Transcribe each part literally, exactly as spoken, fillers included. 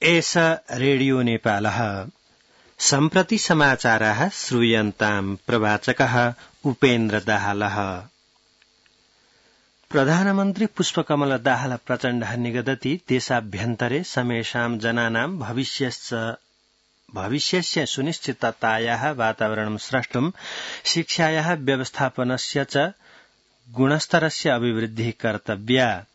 एष रेडियो नेपालः सम्प्रति समाचाराः श्रूयन्ताम् प्रवाचकः उपेन्द्र दाहालः। प्रधानमन्त्री पुष्पकमल दाहाल प्रचण्डः निगदति देशाभ्यन्तरे समेषां जनानां भविष्यस्य भविष्यस्य सुनिश्चिततायाः वातावरणं स्रष्टुं शिक्षायाः व्यवस्थापनस्य च गुणस्तरस्य अभिवृद्धिः कर्तव्या।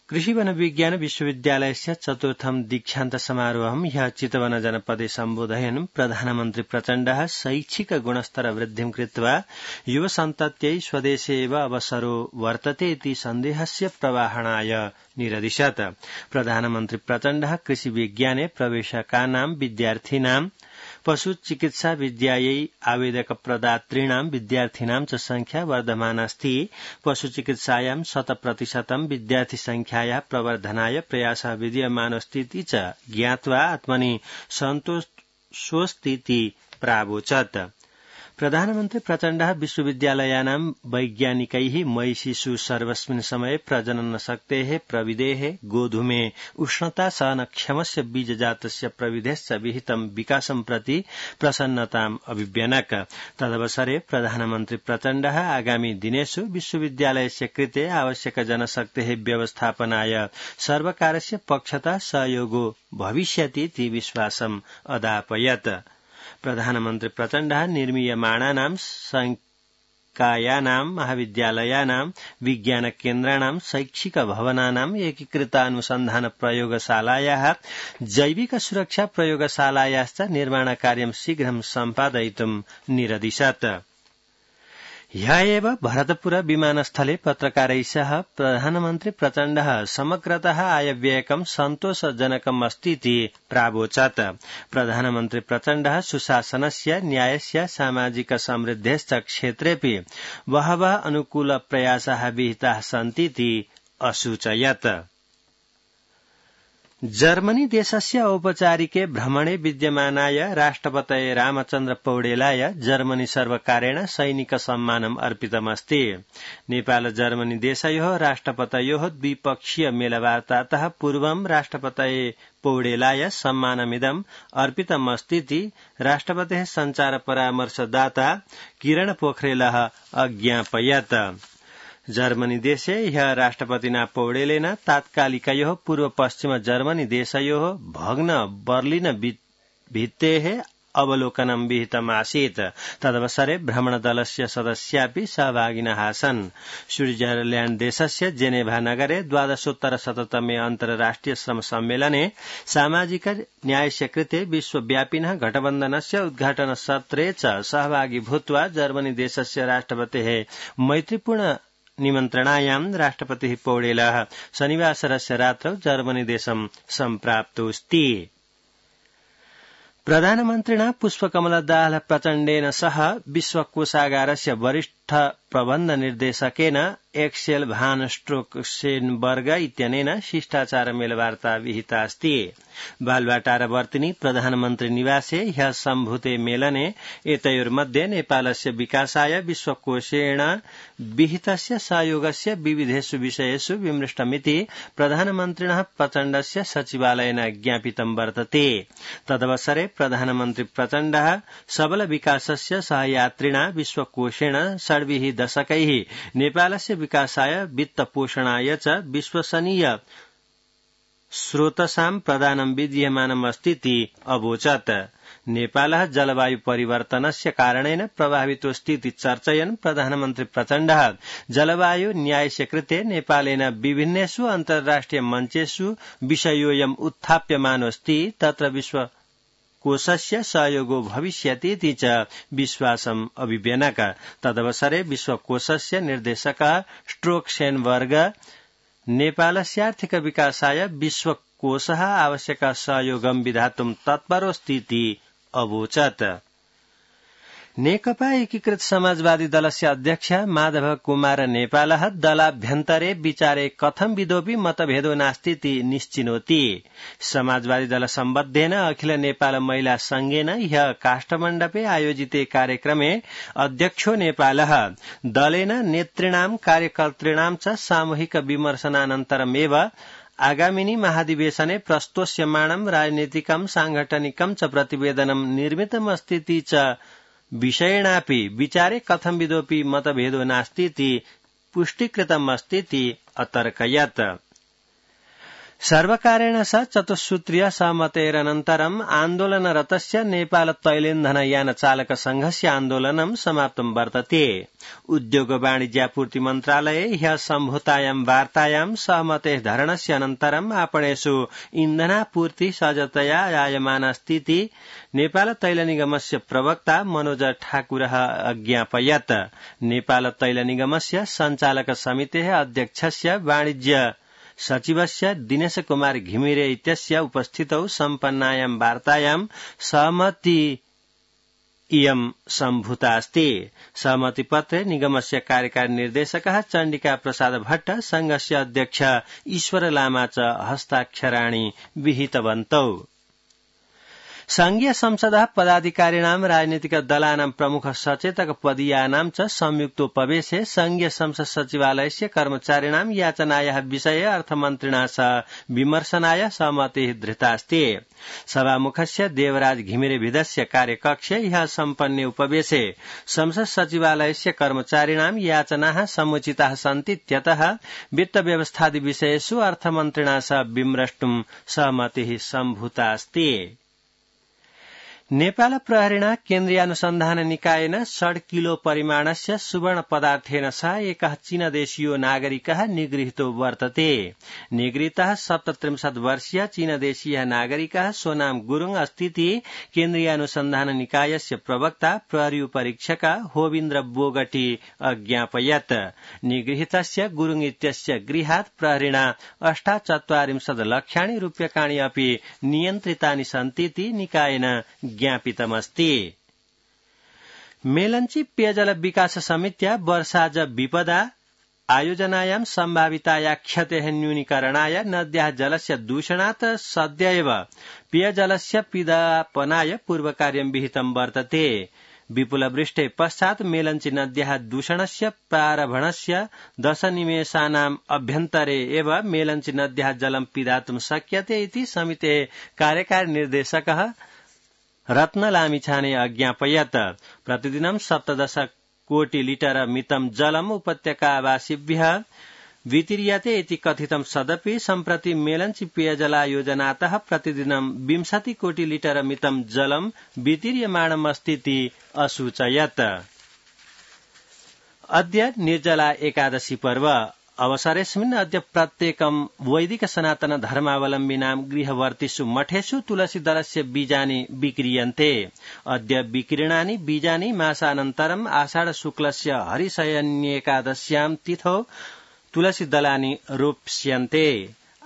कृषि वन विज्ञान विश्वविद्यालयस्य चतुर्थं दीक्षान्त समारोहं ह्यः चितवन जनपदे सम्बोधयन् प्रधानमन्त्री प्रचण्डः शैक्षिक गुणस्तर वृद्धिं कृत्वा युवसन्तत्यै स्वदेशे एव अवसरो वर्तते इति सन्देहस्य प्रवाहणाय निरदिशत्। प्रधानमन्त्री प्रचण्डः कृषि विज्ञाने प्रवेशकानां विद्यार्थिनां पशु चिकित्सा विद्यायै आवेदक प्रदातॄणां विद्यार्थिनां च संख्या वर्धमानास्ति। पशु चिकित्सायां शत प्रतिशतं विद्यार्थी संख्यायाः प्रवर्धनाय प्रयासः विद्यमानोऽस्तीति च ज्ञात्वा आत्मनि सन्तोषोऽस्तीति प्रावोचत्। प्रधानमन्त्री प्रचण्डः विश्वविद्यालयानां वैज्ञानिकैः मयि शिशु सर्वस्मिन् समये प्रजनन शक्तेः प्रविधेः गोधूमे उष्णता सहनक्षमस्य बीजजातस्य प्रविधेश्च विहितं विकासं प्रति प्रसन्नताम् अभिव्यनक। तदवसरे प्रधानमन्त्री प्रचण्डः आगामि दिनेषु विश्वविद्यालयस्य कृते आवश्यक जनशक्तेः व्यवस्थापनाय सर्वकारस्य पक्षतः सहयोगो भविष्यति इति विश्वासम् अदापयत्। प्रधानमन्त्री प्रचण्डः निर्मीयमाणानां संकायानां महाविद्यालयानां विज्ञान केन्द्राणां शैक्षिक भवनानां एकीकृतानुसन्धान प्रयोगशालायाः जैविक सुरक्षा प्रयोगशालायाश्च निर्माणकार्यं शीघ्रं सम्पादयितुं निरदिशत्। ह्यः एव भरतपुर विमानस्थले पत्रकारैः सह प्रधानमन्त्री प्रचण्डः समग्रतः आयव्ययकं सन्तोषजनकम् अस्तीति प्रावोचत्। प्रधानमन्त्री प्रचण्डः सुशासनस्य न्यायस्य सामाजिक समृद्धेश्च क्षेत्रेऽपि बहवः अनुकूल प्रयासाः विहिताः सन्तीति असूचयत्। जर्मनी देशस्य औपचारिके भ्रमणे विद्यमानाय राष्ट्रपतये रामचन्द्र पौडेलाय जर्मनी सर्वकारेण सैनिक सम्मानम् अर्पितमस्ति। नेपाल जर्मनी देशयोः राष्ट्रपतयोः द्विपक्षीय मेलवार्तातः पूर्वं राष्ट्रपतये पौडेलाय सम्मानमिदम् अर्पितमस्तीति राष्ट्रपतेः सञ्चार परामर्शदाता किरण पोखरेलः अज्ञापयत्। जर्मनी देशे ह्यः राष्ट्रपतिना पौडेलेन तात्कालिकयोः पूर्व पश्चिम जर्मनी देशयोः भग्न बर्लिन भित्तेः अवलोकनं विहितमासीत्। तदवसरे भ्रमणदलस्य सदस्यापि सहभागिनः आसन्। स्विट्जरलैण्ड देशस्य जेनेभा नगरे द्वादशोत्तर शततमे अन्तर्राष्ट्रिय श्रम सम्मेलने सामाजिक न्यायस्य कृते विश्वव्यापिनः गठबन्धनस्य उद्घाटन सत्रे च सहभागी भूत्वा जर्मनी देशस्य राष्ट्रपतेः मैत्रीपूर्ण निमन्त्रणायां राष्ट्रपतिः पौडेलः शनिवासरस्य रात्रौ जर्मनी देशं सम्प्राप्तोऽस्ति। प्रधानमन्त्रिणा पुष्पकमल दाहाल प्रचण्डेन सह विश्वकोषागारस्य वरिष्ठ प्रबन्ध निर्देशकेन एक्सेल भान स्ट्रोकसेनबर्ग इत्यनेन शिष्टाचार मेलवार्ता विहिता अस्ति। बालवाटारवर्तिनी प्रधानमन्त्री निवासे ह्यः सम्भूते मेलने एतयोर्मध्ये नेपालस्य विकासाय विश्वकोषेण विहितस्य सहयोगस्य विविधेषु विषयेषु विमृष्टमिति प्रधानमन्त्रिणः प्रचण्डस्य सचिवालयेन ज्ञापितं वर्तते। तदवसरे प्रधानमन्त्री प्रचण्डः सबल विकासस्य सहयात्रिणा विश्वकोषेण षड्भिः दशकैः नेपालस्य विकासाय वित्तपोषणाय च विश्वसनीय स्रोतसां प्रदानं विद्यमानम् अस्तीति अवोचत्। नेपालः जलवायु परिवर्तनस्य कारणेन प्रभावितोऽस्तीति चर्चयन् प्रधानमन्त्री प्रचण्डः जलवायु न्यायस्य कृते नेपालेन विभिन्नेषु अन्तर्राष्ट्रिय मञ्चेषु विषयोऽयम् उत्थाप्यमानोऽस्ति तत्र विश्व कोषस्य सहयोगो भविष्यति इति च विश्वासम् अभिव्यनक। तदवसरे विश्वकोषस्य निर्देशकः स्ट्रोकसेनबर्ग नेपालस्यार्थिक विकासाय विश्वकोषः आवश्यक सहयोगं विधातुं तत्परोऽस्तीति अवोचत्। नेकपा एकीकृत समाजवादी दलस्य अध्यक्ष माधव कुमार नेपालः दलाभ्यन्तरे विचारे कथं विधोऽपि मतभेदो नास्तीति निश्चिनोति। समाजवादी दल सम्बद्धेन अखिल नेपाल महिला संघेन ह्यः काष्ठमण्डपे आयोजिते कार्यक्रमे अध्यक्षो नेपालः दलेन नेतॄणां कार्यकर्तॄणां च सामूहिक विमर्शनानन्तरमेव आगामिनी महाधिवेशने प्रस्तोष्यमाणं राजनीतिकं सांगठनिकं च प्रतिवेदनं निर्मितमस्तीति च विषयेणापि विचारे कथंविदोऽपि मतभेदो नास्तीति पुष्टीकृतमस्तीति अतर्कयत्। सर्वकारेण स चतुस्सूत्रीय सहमतेरनन्तरम् आन्दोलनरतस्य नेपाल तैलेन्धनयान चालक संघस्य आन्दोलनं समाप्तं वर्तते। उद्योग वाणिज्यापूर्ति मन्त्रालये ह्यः सम्भूतायां वार्तायां सहमतेः धरणस्य अनन्तरम् आपणेषु इन्धनापूर्ति सहजतया जायमानास्तीति नेपाल तैल निगमस्य प्रवक्ता मनोज ठाकुरः अज्ञापयत्। नेपाल तैल निगमस्य सञ्चालक समितेः अध्यक्षस्य वाणिज्य सचिवस्य दिनेश कुमार घिमिरे इत्यस्य उपस्थितौ सम्पन्नायां वार्तायां सहमति इयं सम्भूता अस्ति। सहमतिपत्रे निगमस्य कार्यकारी निर्देशकः चण्डिका प्रसाद भट्ट, संघस्य अध्यक्ष ईश्वर लामा च हस्ताक्षराणि विहितवन्तौ। संघीय संसदः पदाधिकारिणां राजनीतिक दलानां प्रमुख सचेतक पदीयानां च संयुक्तोपवेशे संघीय संसद सचिवालयस्य कर्मचारिणां याचनायाः विषये अर्थमन्त्रिणा सह विमर्शनाय सहमतिः धृतास्ति। सभामुखस्य देवराज घिमिरेभिदस्य कार्यकक्षे ह्यः सम्पन्ने उपवेशे संसद सचिवालयस्य कर्मचारिणां याचनाः समुचिताः सन्तीत्यतः वित्त व्यवस्थादि विषयेषु अर्थमन्त्रिणा सह विमृष्टुं सहमतिः सम्भूता अस्ति। नेपाल प्रहरीणा केन्द्रीयानुसन्धान निकायेन षड् किलो परिमाणस्य सुवर्ण पदार्थेन सह एकः चीनदेशीयो नागरिकः निगृहीतो वर्तते। निगृहीतः सप्तत्रिंशत् वर्षीय चीनदेशीयः नागरिकः सोनाम गुरुङ अस्तीति केन्द्रीयानुसन्धान निकायस्य प्रवक्ता प्रहरी परीक्षक होविन्द्र बोगटी अज्ञापयत्। निगृहीतस्य गुरुङ इत्यस्य गृहात् प्रहरीणा अष्टाचत्वारिंशत् लक्षाणि रूप्यकाणि अपि नियन्त्रितानि सन्तीति निकायेन ज्ञापितमस्ति। मेलंची पेयजल विकास समित्या वर्षाज विपदा आयोजनायां सम्भाविताया क्षतेः न्यूनीकरणाय नद्याः जलस्य दूषणात् सद्य एव पेयजलस्य पिधापनाय पूर्वकार्यं विहितं वर्तते। विपुलवृष्टे पश्चात् मेलंची नद्याः दूषणस्य प्रारम्भणस्य दशनिमेषानाम् अभ्यन्तरे एव मेलंची नद्याः जलं पिधातुं शक्यते इति समितेः कार्यकारी निर्देशकः रत्न लामिछाने अज्ञापयत्। प्रतिदिनं सप्तदश कोटि लिटर मितं जलम् उपत्यकावासिभ्यः वितीर्यते इति कथितं सदपि सम्प्रति मेलंची पेयजलायोजनातः प्रतिदिनं विंशति कोटि लिटर मितं जलं वितीर्यमाणमस्तीति असूचयत्। अद्य निर्जला एकादशी पर्व अवसरेऽस्मिन् अद्य प्रत्येकं वैदिक सनातन धर्मावलम्बिनां गृहवर्तिषु मठेषु तुलसीदलस्य बीजानि विक्रीयन्ते। अद्य विक्रीणानि बीजानि मासानन्तरम् आषाढ शुक्लस्य हरिशयन्येकादश्यां तिथौ तुलसीदलानि रोप्स्यन्ते।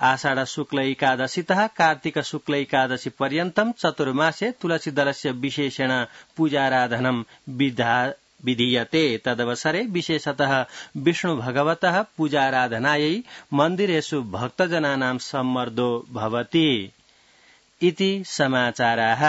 आषाढ शुक्ल एकादशीतः कार्तिक शुक्ल एकादशी पर्यन्तं चतुर्मासे तुलसीदलस्य विशेषेण पूजाराधनं विधा विधीयते। तदवसरे विशेषतः विष्णु भगवतः पूजाराधनायै मन्दिरेषु भक्तजनानां सम्मर्दो भवति इति समाचाराः।